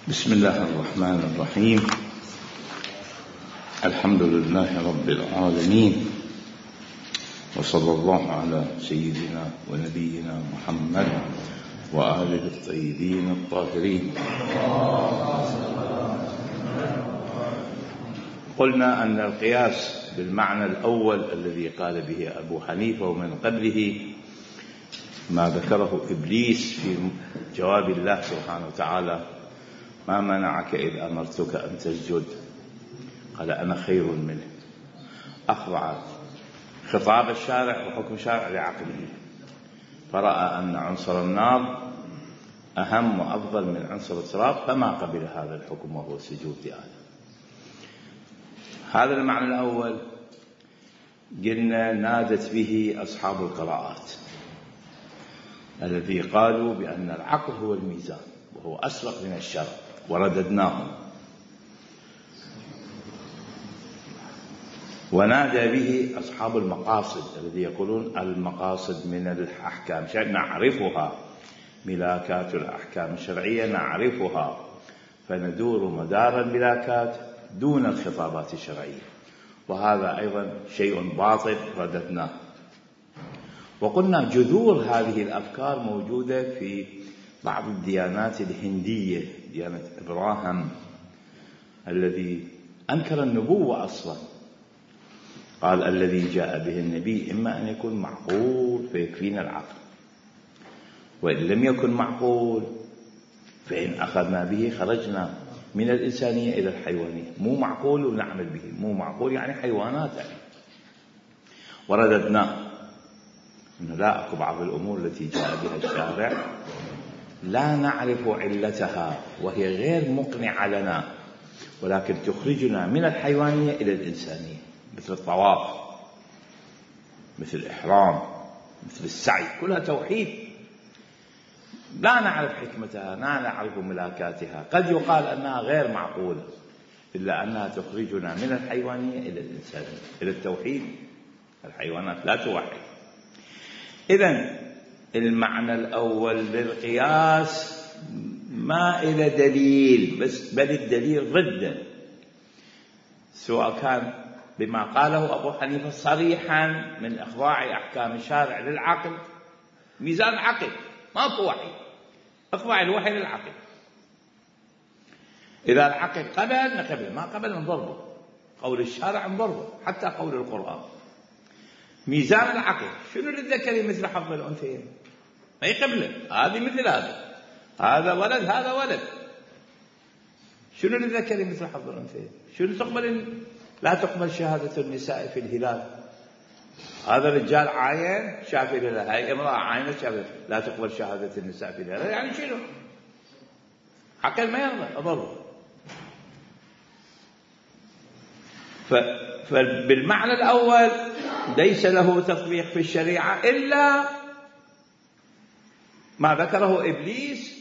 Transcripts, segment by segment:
بسم الله الرحمن الرحيم. الحمد لله رب العالمين، وصلى الله على سيدنا ونبينا محمد وآله الطيبين الطاهرين. قلنا أن القياس بالمعنى الأول الذي قال به أبو حنيفة ومن قبله ما ذكره إبليس في جواب الله سبحانه وتعالى: ما منعك إذ أمرتك أن تسجد؟ قال أنا خير منه. أخضع خطاب الشارع وحكم الشارع لعقله، فرأى أن عنصر النار أهم وأفضل من عنصر التراب، فما قبل هذا الحكم وهو السجود لآدم. هذا المعنى الأول قلنا نادت به أصحاب القراءات الذي قالوا بأن العقل هو الميزان وهو أسبق من الشرع، ورددناهم. ونادى به أصحاب المقاصد الذي يقولون المقاصد من الأحكام شيء نعرفها، ملاكات الأحكام الشرعية نعرفها، فندور مدار الملاكات دون الخطابات الشرعية، وهذا أيضا شيء باطل رددناه. وقلنا جذور هذه الأفكار موجودة في بعض الديانات الهندية، ديانة إبراهيم الذي أنكر النبوة أصلا، قال الذي جاء به النبي إما أن يكون معقول فيكفينا العقل، وإن لم يكن معقول فإن أخذنا به خرجنا من الإنسانية إلى الحيوانية. مو معقول ونعمل به، مو معقول يعني حيوانات يعني. ورددنا أنه لا، أكو بعض الأمور التي جاء بها الشارع لا نعرف علتها وهي غير مقنعة لنا، ولكن تخرجنا من الحيوانية إلى الإنسانية، مثل الطواف، مثل الإحرام، مثل السعي، كلها توحيد لا نعرف حكمتها، لا نعرف ملاكاتها. قد يقال أنها غير معقولة، إلا أنها تخرجنا من الحيوانية إلى الإنسانية، إلى التوحيد. الحيوانات لا توحد. إذن المعنى الأول للقياس ما إلى دليل، بل الدليل ضده، سواء كان بما قاله أبو حنيفة صريحا من إخضاع أحكام الشارع للعقل، ميزان عقل، ماكو وحي، إخضاع الوحي للعقل. إذا العقل قبل نقبل، ما قبل نضربه، قول الشارع نضربه، حتى قول القرآن. ميزان العقل شنو للذكر مثل حظ الأنثيين؟ ما يقبله، هذه مثل هذا ولد، هذا ولد. شنو للذكر مثل حظ الأنثيين؟ شنو تقبل؟ لا تقبل شهادة النساء في الهلال. هذا رجال عاين شاف الهلال، هاي امرأة عاينة شافت، لا تقبل شهادة النساء في الهلال. يعني شنو؟ عقل ما يرضى، أضره. فبالمعنى الأول ليس له تطبيق في الشريعة إلا ما ذكره إبليس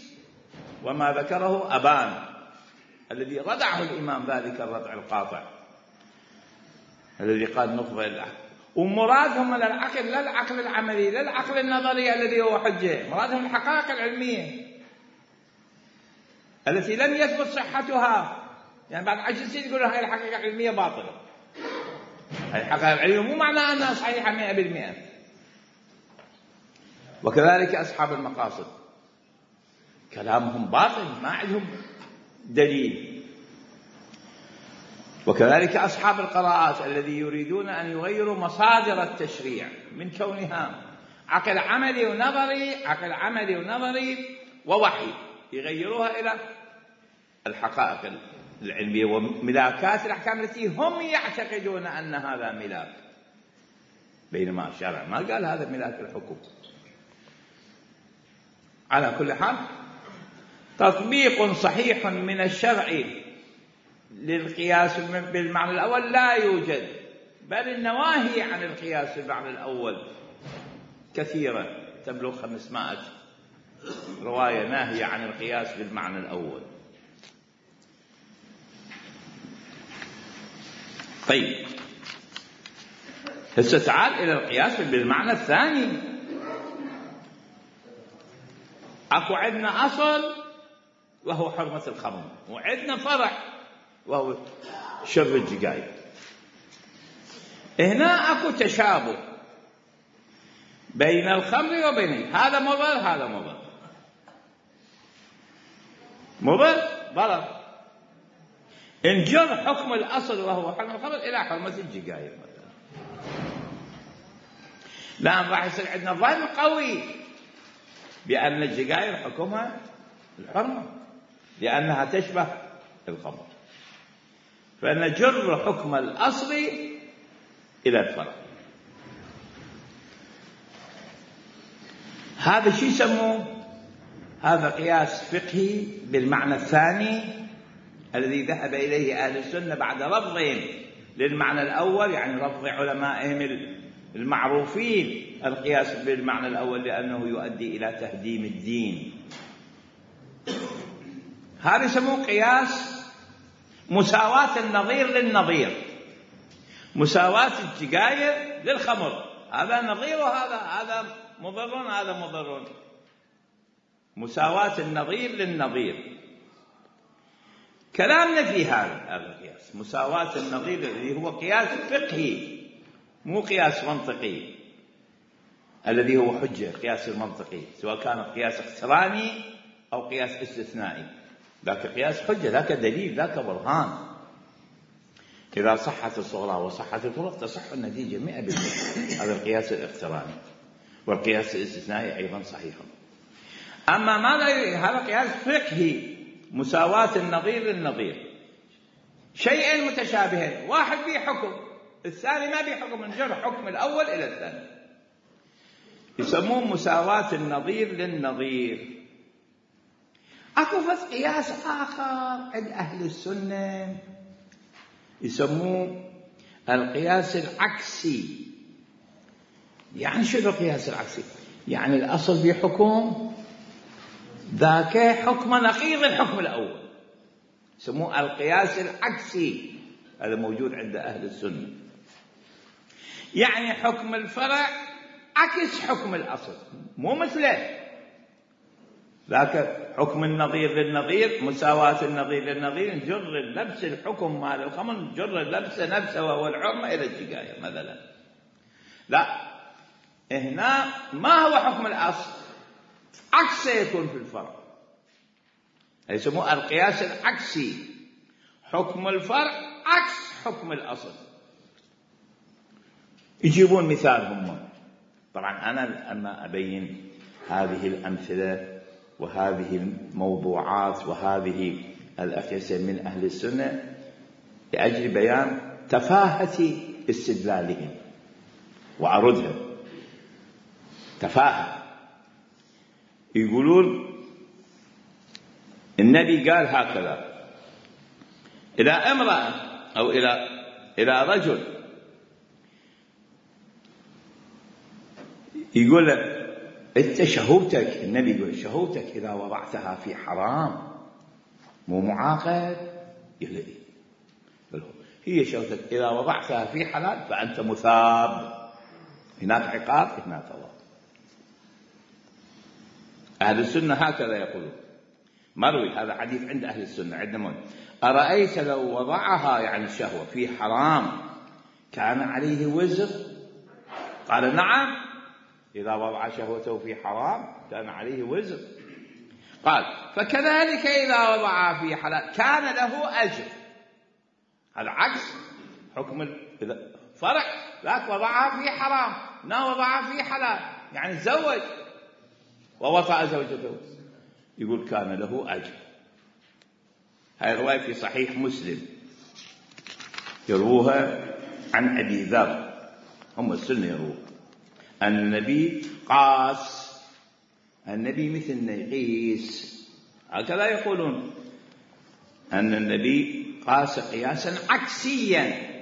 وما ذكره أبان الذي ردعه الإمام ذلك الردع القاطع، الذي قال نطبق العقل. ومرادهم من العقل لا العقل العملي، لا العقل النظري الذي هو حجة، مرادهم الحقائق العلمية التي لم يثبت صحتها. يعني بعد 10 سنين يقولون هاي الحقيقة العلمية باطلة. هاي الحقائق العلمية مو معناها أنها صحيحة 100%. وكذلك أصحاب المقاصد كلامهم باطل، ما عندهم دليل. وكذلك أصحاب القراءات الذي يريدون أن يغيروا مصادر التشريع من كونها عقل عملي ونظري، عقل عملي ونظري ووحي، يغيروها إلى الحقائق العلمية وملاكات الأحكام التي هم يعتقدون أن هذا ملاك، بينما الشرع ما قال هذا ملاك الحكم. على كل حال تطبيق صحيح من الشرع للقياس بالمعنى الأول لا يوجد، بل النواهي عن القياس بالمعنى الأول كثيرة، تبلغ 500 رواية ناهية عن القياس بالمعنى الأول. طيب هسه تعال إلى القياس بالمعنى الثاني. أكو عندنا أصل وهو حرمة الخمر، وعندنا فرع وهو شرب الجقاير. هنا اكو تشابه بين الخمر وبين هذا مضر هذا مضر، ضرر. انجر حكم الأصل وهو حرمة الخمر إلى حرمة الجقاير مثلا، الآن راح يصير عندنا ظن قوي بأن الجقاير حكمها الحرمة لأنها تشبه الخمر، فنجر حكم الأصل إلى الفرع. هذا شو يسموه؟ هذا قياس فقهي بالمعنى الثاني الذي ذهب إليه أهل السنة بعد رفضهم للمعنى الأول، يعني رفض علمائهم المعروفين القياس بالمعنى الأول لأنه يؤدي إلى تهديم الدين. هذا يسموه قياس مساواة النظير للنظير، مساواة الجقاير للخمر، هذا نظير وهذا مضر هذا مضر، مساواة النظير للنظير. كلامنا في هذا القياس مساواة النظير الذي هو قياس فقهي مو قياس منطقي الذي هو حجة. القياس المنطقي سواء كان قياس اقتراني أو قياس استثنائي، ذاك قياس حجة، ذاك دليل، ذاك برهان. إذا صحت الصغرى وصحت الكبرى تصح النتيجة 100%. هذا القياس الاقتراني، والقياس الاستثنائي أيضا صحيح. أما ماذا؟ هذا قياس فقهي مساواة النظير للنظير، شيئين متشابهين، واحد به حكم الثاني ما به حكم، نجر حكم الأول إلى الثاني، يسموه مساواة النظير للنظير. أكو قياس آخر عند أهل السنة يسموه القياس العكسي. يعني شنو القياس العكسي؟ يعني الأصل بحكم ذاك حكم نقيض الحكم الأول، يسموه القياس العكسي. هذا موجود عند أهل السنة، يعني حكم الفرع عكس حكم الأصل، مو مثله. ذاك حكم النظير للنظير، مساواة النظير للنظير، نجر اللبس الحكم مال الخمر، نجر اللبس نفسه وهو الحرمة إلى الجقاية مثلا. لا، هنا ما هو حكم الأصل، عكسه يكون في الفرع، يسموه القياس العكسي. حكم الفرع عكس حكم الأصل. يجيبون مثال هم، طبعا أنا أما أبين هذه الأمثلة وهذه الموضوعات وهذه الأقيسة من أهل السنة لأجل بيان تفاهة استدلالهم وعرضها. تفاهة، يقولون النبي قال هكذا إلى امرأة أو إلى رجل، يقول له أنت شهوتك، النبي يقول شهوتك إذا وضعتها في حرام مو معاقب؟ يقول إيه؟ هي شهوتك إذا وضعتها في حلال فأنت مثاب، هناك عقاب هناك ثواب. أهل السنة هكذا يقولون، مروي هذا حديث عند أهل السنة عندنا. أرأيت لو وضعها يعني الشهوة في حرام كان عليه وزر؟ قال نعم، إذا وضع شهوته في حرام كان عليه وزر. قال فكذلك إذا وضعها في حلال كان له أجر. هذا عكس حكم الفرع، ذاك وضعها في حرام، لا وضعها في حلال، يعني تزوج ووطأ زوجته، يقول كان له أجر. هاي الرواية في صحيح مسلم، يروها عن أبي ذر، هم السنة يروها أن النبي قاس، النبي مثلنا يقيس، هكذا يقولون أن النبي قاس قياسا عكسيا،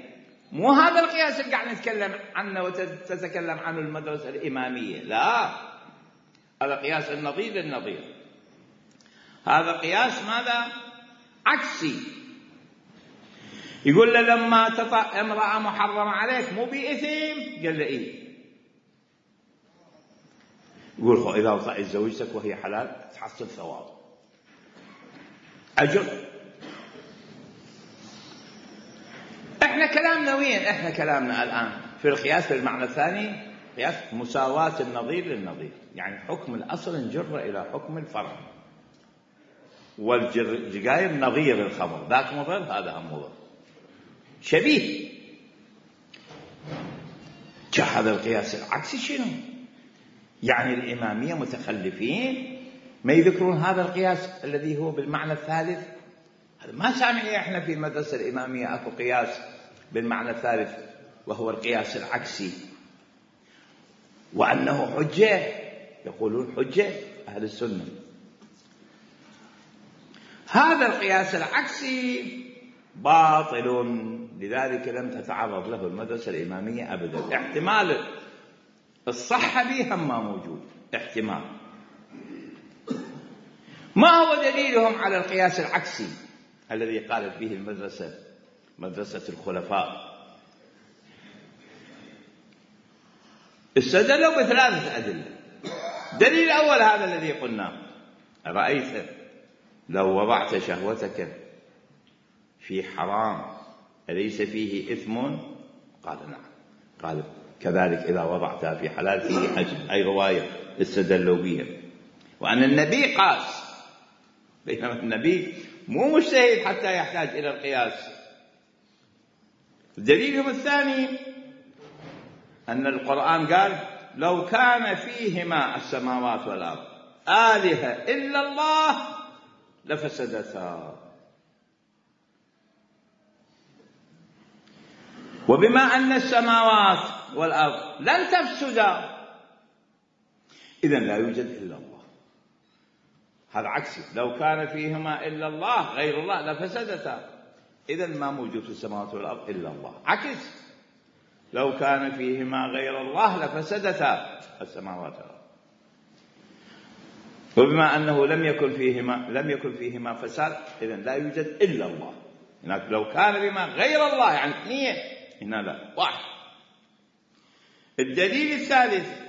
مو هذا القياس اللي قاعد نتكلم عنه وتتكلم عنه المدرسة الإمامية، لا، هذا قياس النظير للنظير. هذا قياس ماذا؟ عكسي. يقول له لما تطأ امرأة محرمة عليك مو بإثم؟ قال له إيه. يقول إذا وطأت زوجتك وهي حلال تحصل ثواب. أجر. احنا كلامنا وين؟ احنا كلامنا الآن في القياس بالمعنى الثاني، قياس مساواة النظير للنظير، يعني حكم الأصل نجر إلى حكم الفرع. والجقاير نظير الخمر، ذاك مضر هذا هم مضر، شبيه. هذا القياس العكسي شنو؟ يعني الإمامية متخلفين ما يذكرون هذا القياس الذي هو بالمعنى الثالث. هذا ما سامعين احنا في المدرسة الإمامية اكو قياس بالمعنى الثالث وهو القياس العكسي، وأنه حجة، يقولون حجة أهل السنة. هذا القياس العكسي باطل، لذلك لم تتعرض له المدرسة الإمامية أبدا. احتمال الصحة به هم ما موجود، احتمال. ما هو دليلهم على القياس العكسي الذي قالت به المدرسة، مدرسة الخلفاء؟ استدلوا بثلاثة أدلة. دليل الأول هذا الذي قلناه: رأيت لو وضعت شهوتك في حرام أليس فيه إثم؟ قال نعم. قال كذلك إذا وضعتها في حلال فيه أجر. أي رواية استدلوا بها. وأن النبي قاس، بينما النبي مو مجتهد حتى يحتاج إلى القياس. دليلهم الثاني أن القرآن قال لو كان فيهما السماوات والأرض آلهة إلا الله لفسدتا. وبما أن السماوات والأرض لن تفسدا إذن لا يوجد إلا الله. هذا عكسي، لو كان فيهما إلا الله غير الله لفسدتا، إذن ما موجود في السماوات والأرض إلا الله. عكس، لو كان فيهما غير الله لفسدتا السماوات والأرض. وبما أنه لم يكن فيهما فساد إذن لا يوجد إلا الله. هناك لو كان بما غير الله يعني اثنين، هنا لا، واحد. الدليل الثالث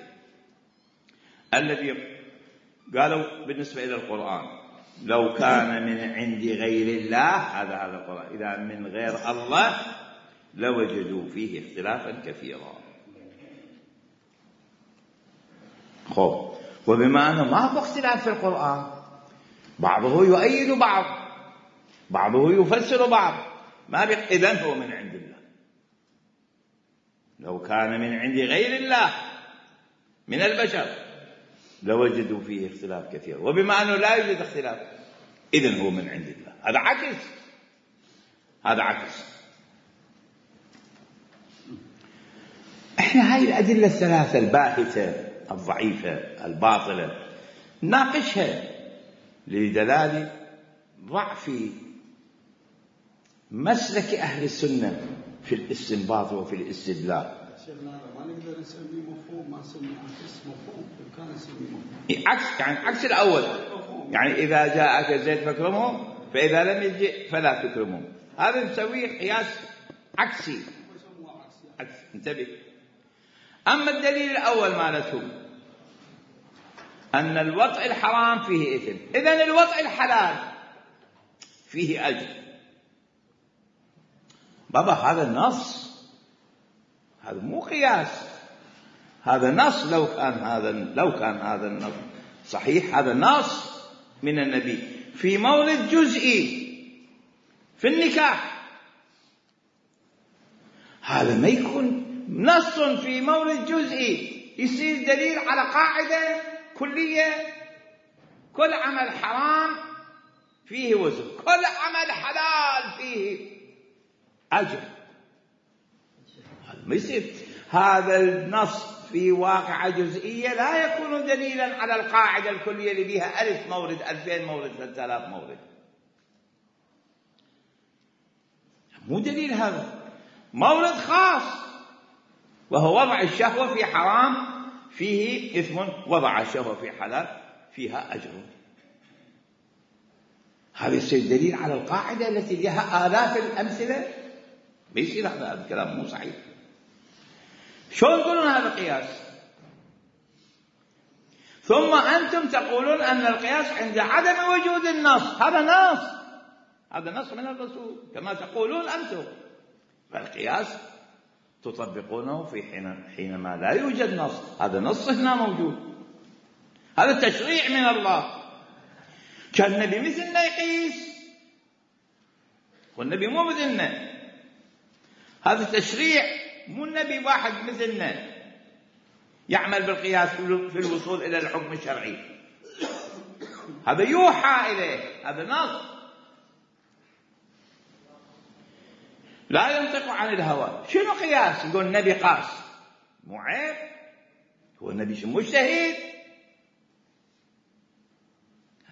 الذي قالوا بالنسبة إلى القرآن لو كان من عند غير الله، هذا القرآن إذا من غير الله لوجدوا فيه اختلافا كثيرا. خب، وبما أنه ما هو اختلاف في القرآن، بعضه يؤيد بعض، بعضه يفسر بعض، ما إذن هو من عند الله. لو كان من عند غير الله من البشر لوجدوا فيه اختلاف كثير، وبما أنه لا يوجد اختلاف إذن هو من عند الله. هذا عكس، هذا عكس. احنا هاي الأدلة الثلاثة الباهتة الضعيفة الباطلة ناقشها لدلالة ضعف مسلك أهل السنة في الاستنباط وفي الاستدلال. ما نقدر نسميه مفهوم، ما نسميه عكس مفهوم، كان نسميه مفهوم. عكس يعني عكس الأول، يعني إذا جاءك زيد فاكرمه، فإذا لم يجي فلا تكرمه. هذا نسويه قياس عكسي. عكس، انتبه. أما الدليل الأول مالتهم أن الوطء الحرام فيه إثم، إذن الوطء الحلال فيه أجر. بابا هذا النص، هذا مو قياس، هذا نص. لو كان هذا النص صحيح، هذا نص من النبي في مورد جزئي في النكاح. هذا ما يكون نص في مورد جزئي يصير دليل على قاعدة كلية: كل عمل حرام فيه وزر، كل عمل حلال فيه أجر. ما يصير هذا النص في واقعة جزئية لا يكون دليلا على القاعدة الكلية اللي بها 1000 مورد، 2000 مورد، 3000 مورد. مو دليل، هذا مورد خاص وهو وضع الشهوة في حرام فيه إثم، وضع الشهوة في حلال فيها أجر. هذا يصير دليل على القاعدة التي لها آلاف الأمثلة. ما يصير هذا الكلام مو صحيح. شلون تقولون هذا قياس؟ ثم أنتم تقولون أن القياس عند عدم وجود النص. هذا نص هذا نص من الرسول كما تقولون أنتم. فالقياس تطبقونه في حينما لا يوجد نص. هذا نص هنا موجود، هذا تشريع من الله. كان النبي مثلنا يقيس، والنبي مو مثلنا. هذا تشريع، مو النبي واحد مثلنا يعمل بالقياس في الوصول إلى الحكم الشرعي. هذا يوحى إليه، هذا نص لا ينطق عن الهوى. شنو قياس؟ يقول النبي قاس، مو عيب؟ هو النبي مجتهد،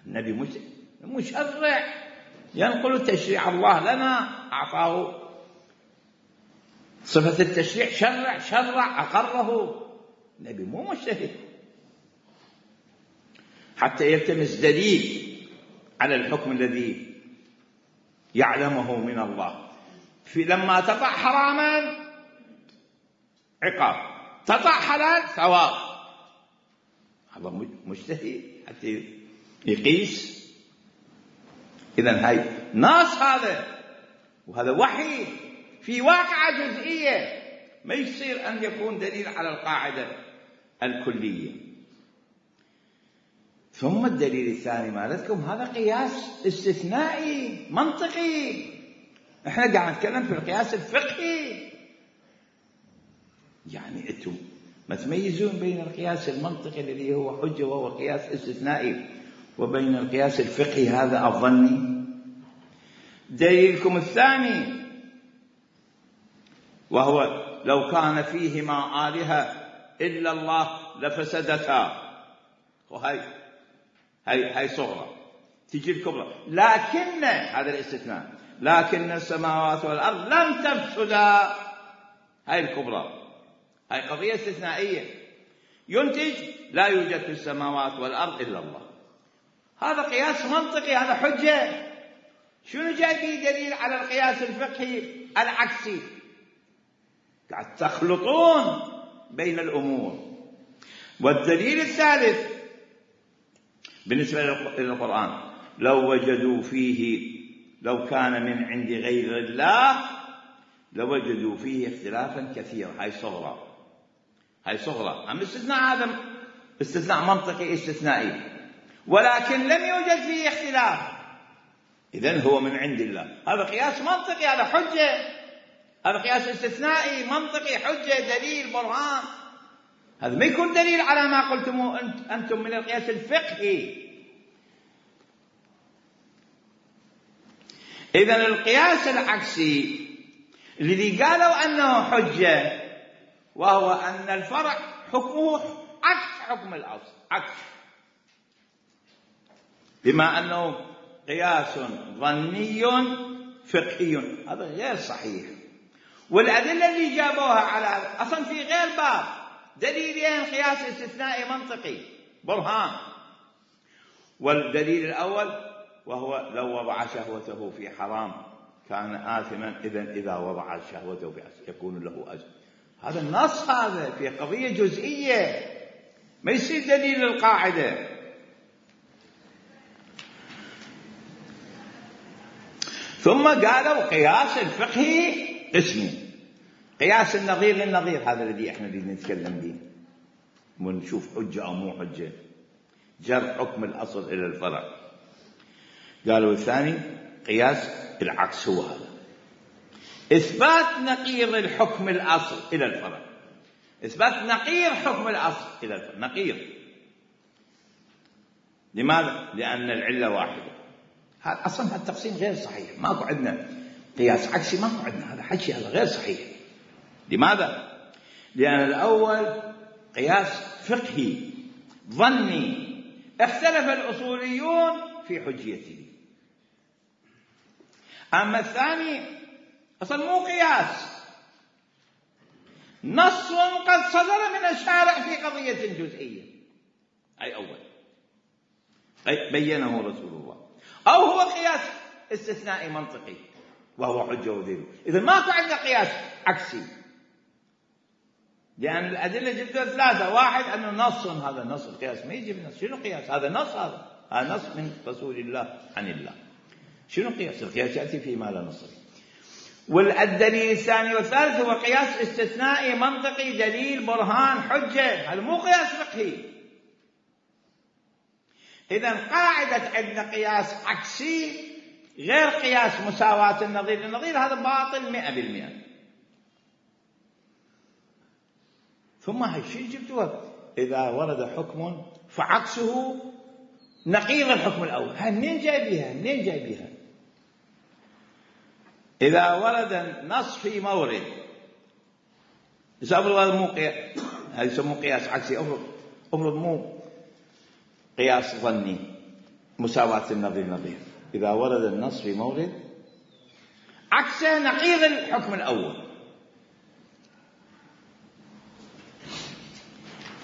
النبي مشرع ينقل تشريع الله لنا، أعطاه صفة التشريع، شرع أقره. النبي مو مجتهد حتى يلتمس دليل على الحكم الذي يعلمه من الله. لما تطع حراما عقاب، تطع حلال ثواب. هذا مجتهد حتى يقيس. إذن هاي ناس هذا، وهذا وحي في واقعة جزئية، ما يصير أن يكون دليل على القاعدة الكلية. ثم الدليل الثاني مالتكم هذا قياس استثنائي منطقي. احنا قاعد نتكلم في القياس الفقهي. يعني انتم ما تميزون بين القياس المنطقي الذي هو حجة وهو قياس استثنائي وبين القياس الفقهي هذا الظني. دليلكم الثاني وهو لو كان فيهما آلهة إلا الله لفسدتا. هاي صغرى، تجي الكبرى. لكن هذا الاستثناء، لكن السماوات والأرض لم تفسدا. هاي الكبرى، هاي قضية استثنائية، ينتج لا يوجد في السماوات والأرض إلا الله. هذا قياس منطقي، هذا حجة. شنو جاي فيه دليل على القياس الفقهي العكسي؟ قاعد تخلطون بين الأمور. والدليل الثالث بالنسبة للقرآن، لو وجدوا فيه، لو كان من عند غير الله لوجدوا فيه اختلافا كثيرا. هاي صغرى. أما الاستثناء هذا استثناء منطقي استثنائي، ولكن لم يوجد فيه اختلاف، إذن هو من عند الله. هذا قياس منطقي، هذا حجة. هذا قياس استثنائي منطقي، حجة، دليل، برهان. هذا ما يكون دليل على ما قلتموه أنتم من القياس الفقهي. إذن القياس العكسي الذي قالوا أنه حجة، وهو أن الفرع حكمه عكس حكم الأصل، عكس، بما أنه قياس ظني فقهي، هذا غير صحيح. والأدلة اللي جابوها على أصلا في غير باب دليلين قياس استثنائي منطقي برهان. والدليل الأول وهو لو وضع شهوته في حرام كان آثما، إذا وضع شهوته في أجر يكون له أجر. هذا النص، هذا في قضية جزئية، ما يصير دليل للقاعدة. ثم قالوا قياس الفقهي اسمه قياس النظير للنظير، هذا الذي احنا نتكلم به ونشوف حجة أو مو حجة، جر حكم الأصل إلى الفرع. قالوا الثاني قياس العكس، هو هذا إثبات نقيض الحكم الأصل إلى الفرع، إثبات نقيض حكم الأصل إلى الفرع. نقيض لماذا؟ لأن العلة واحدة. هذا أصلا التقسيم غير صحيح، ماكو عندنا قياس عكسي، ماكو عندنا، هذا حكي، هذا غير صحيح. لماذا؟ لأن الأول قياس فقهي ظني اختلف الأصوليون في حجيته. أما الثاني أصلا مو قياس، نص قد صدر من الشارع في قضية جزئية، أي أول بينه رسول الله، أو هو قياس استثنائي منطقي وهو حجة ودليل. إذا ماكو عندنا قياس عكسي، لأن الأدلة جدا ثلاثة. واحد أنه نص، هذا نص، القياس ما يجي من نص. شنو قياس؟ هذا نص، هذا نص من رسول الله عن الله. شنو قياس؟ القياس يأتي فيما لا نص فيه. والدليل الثاني والثالث هو قياس استثنائي منطقي، دليل برهان حجة، هذا مو قياس فقهي. إذن قاعدة عندنا قياس عكسي غير قياس مساواة النظير للنظير، هذا باطل 100%. ثم هاي شيء جبتوها إذا ورد حكم فعكسه نقيض الحكم الأول، هاي منين جايبيها؟ إذا ورد النص في مورد افرض هذا مو قياس، هذا يسموه قياس عكسي. افرض مو قياس ظني مساواة النظير نظير، إذا ورد النص في مورد عكسه نقيض الحكم الأول،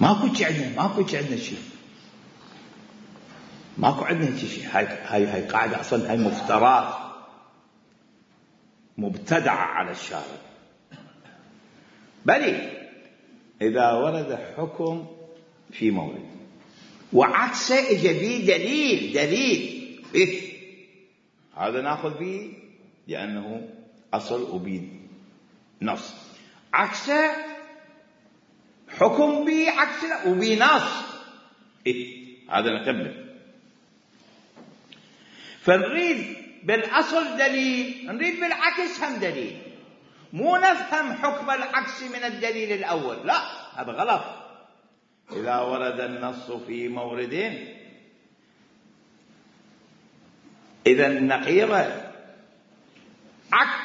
ماكو عندنا شيء، ماكو عندنا شيء. هاي قاعدة أصلا، هاي مفترات مبتدعة على الشارع. بل إذا ورد حكم في مورد وعكسه إجا به دليل هذا ناخذ به لأنه أصل وبيه نص، عكسه حكم به عكسه وبيه نص، هذا نقبل. فنريد بالأصل دليل، نريد بالعكس هم دليل، مو نفهم حكم العكس من الدليل الأول، لا هذا غلط. إذا ورد النص في مورد إذا النقيضة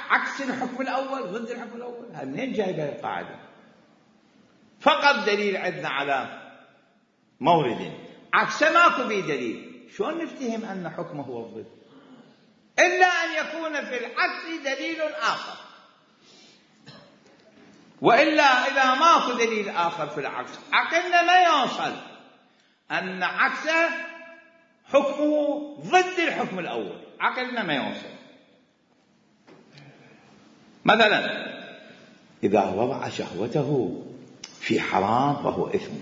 عكس الحكم الأول، ضد الحكم الأول، هذا منين جايبه القاعدة؟ فقط دليل عندنا على مورد، عكسه ماكو به دليل، شلون نفتهم أن حكمه هو الضد؟ إلا أن يكون في العكس دليل آخر، وإلا إذا ماكو دليل آخر في العكس عقلنا ما يوصل أن عكسه حكمه ضد الحكم الأول، عقلنا ما يوصل. مثلا إذا وضع شهوته في حرام فهو إثم.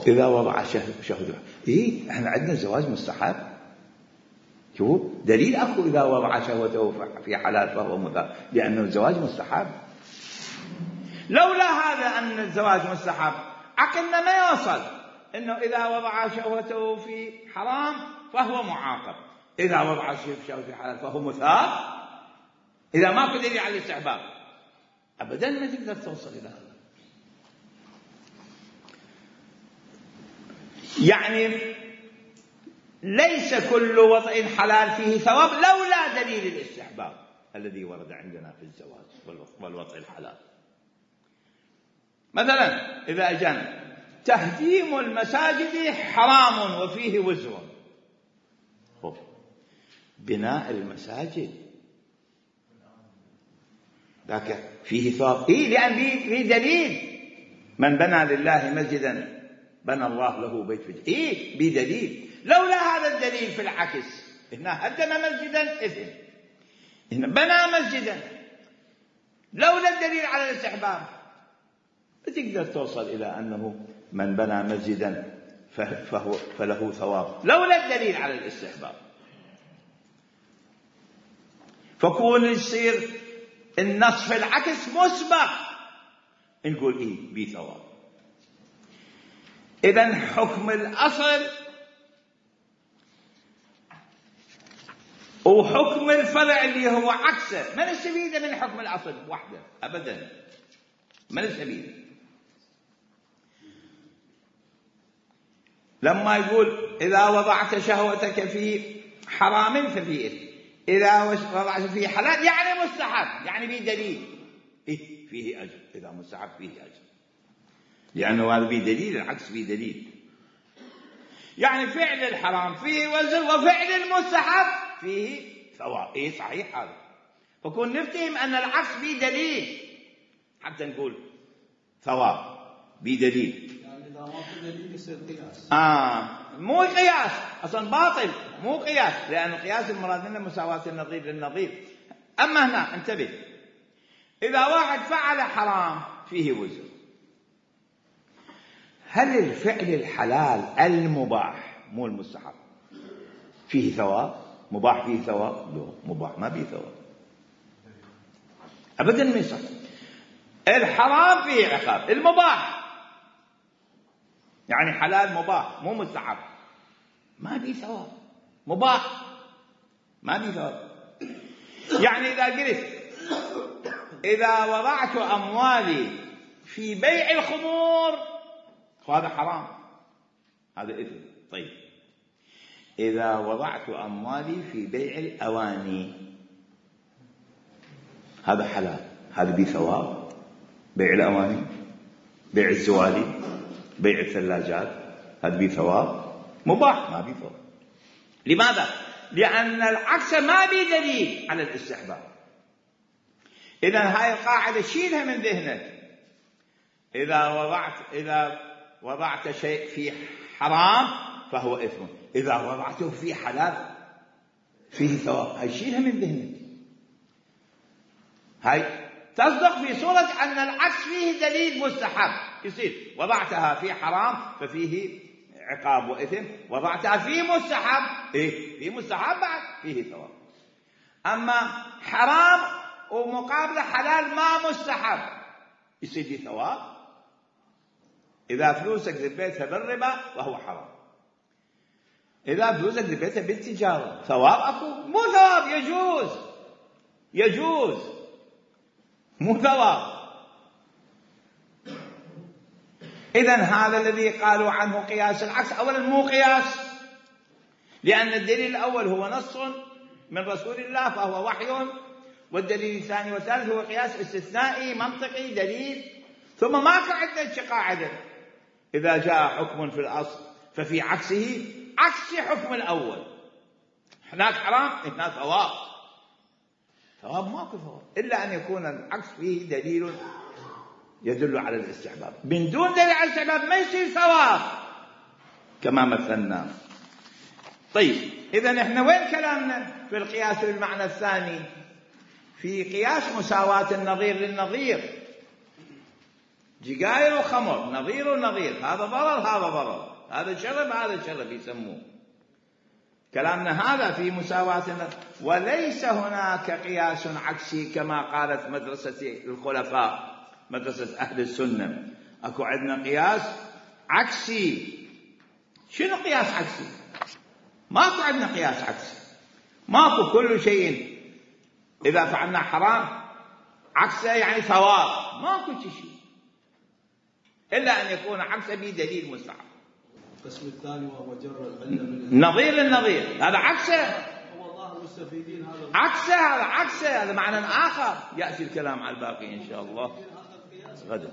إذا وضع شهوته إحنا عندنا الزواج مستحب، شوف دليل أكو إذا وضع شهوته في حلال فهو مثاب، لأن الزواج مستحب. لولا هذا أن الزواج مستحب عقلنا ما يوصل إنه إذا وضع شهوته في حرام فهو معاقب، إذا وضع شهوته في حلال فهو مثاب. إذا ما في دليل على الاستحباب أبدا ما تقدر توصل إلى هذا. يعني ليس كل وضع حلال فيه ثواب لولا دليل الاستحباب الذي ورد عندنا في الزواج والوضع الحلال. مثلا إذا أجانا تهديم المساجد حرام وفيه وزر، بناء المساجد ذاك فيه ثواب، لأن فيه دليل، من بنى لله مسجدا بنى الله له بيت في بدليل. لولا هذا الدليل في العكس، هنا هدم مسجدا إثم، هنا بنى مسجدا، لولا الدليل على الاستحباب تقدر توصل إلى أنه من بنى مسجدا فله ثواب لولا الدليل على الاستحباب. فكون يصير النص في العكس مسبق نقول بثواب. إذن حكم الأصل وحكم الفرع اللي هو عكسه ما نستفيد من حكم الأصل وحده أبدا، ما نستفيد. لما يقول إذا وضعت شهوتك في حرام ففي إثم، إذا وضعت في حلال يعني مستحب، يعني به دليل فيه أجر، إذا مستحب فيه أجر، لأنه هذا به دليل، العكس به دليل. يعني فعل الحرام فيه وزر وفعل المستحب فيه ثواب. صحيح هذا. فكون نفتهم أن العكس به دليل حتى نقول ثواب بدليل. يعني إذا ما في دليل يصير قياس. مو قياس أصلا، باطل، مو قياس، لأن القياس المراد منه مساواة النظير للنظير. أما هنا انتبه، إذا واحد فعل حرام فيه وزر، هل الفعل الحلال المباح مو المستحب فيه ثواب؟ مباح فيه ثواب؟ لا، مباح ما فيه ثواب أبدا ما يصح. الحرام فيه عقاب، المباح يعني حلال مباح مو مستحب ما فيه ثواب، مباح ما فيه ثواب. يعني إذا قلت إذا وضعت أموالي في بيع الخمور فهذا حرام، هذا إثم. طيب إذا وضعت أموالي في بيع الأواني هذا حلال، هذا به ثواب. بيع الأواني، بيع الزوالي، بيع الثلاجات، هذا به ثواب، مباح ما به ثواب. لماذا؟ لأن العكس ما به دليل على الاستحباب. إذا هاي القاعدة شيلها من ذهنك. إذا وضعت شيء في حرام فهو إثم، إذا وضعته في حلال فيه ثواب. هاي شيلها من ذهنك. هاي تصدق في صورة أن العكس فيه دليل مستحب، يصير وضعتها في حرام ففيه عقاب وإثم، وضعتها في مستحب في مستحب بعد فيه ثواب. أما حرام ومقابله حلال ما مستحب يصير فيه ثواب. إذا فلوسك ذبيتها بالربا وهو حرام، إذا فلوسك ذبيتها بالتجارة ثواب أكو؟ مو ثواب، يجوز مو ثواب. إذن هذا الذي قالوا عنه قياس العكس أولا مو قياس، لأن الدليل الأول هو نص من رسول الله فهو وحي، والدليل الثاني والثالث هو قياس استثنائي منطقي دليل. ثم ماكو عندنا قاعدة إذا جاء حكم في الأصل ففي عكسه عكس حكم الأول. هناك حرام هناك ثواب ماكو ثواب إلا أن يكون العكس فيه دليل يدل على الاستحباب. من دون دليل على الاستحباب ما يصير ثواب كما مثلنا. طيب إذن إحنا وين كلامنا في القياس بالمعنى الثاني؟ في قياس مساواة النظير للنظير، جيجاير وخمر نظير ونظير، هذا ضرر هذا ضرر، هذا شرب هذا شرب يسموه. كلامنا هذا في مساواة النظير، وليس هناك قياس عكسي كما قالت مدرسة الخلفاء، مدرسة أهل السنة. أكو عندنا قياس عكسي. شنو قياس عكسي؟ ماكو عندنا قياس عكسي، ماكو. كل شيء إذا فعلنا حرام عكسه يعني ثواب، ماكو شيء إلا أن يكون عكسه بدليل مستحب. القسم الثاني وهو جر العلة من نظير للنظير، هذا عكسه. هو ظاهر المستفيدين هذا عكسه، هذا معنى آخر. يأتي الكلام على الباقي إن شاء الله غدا.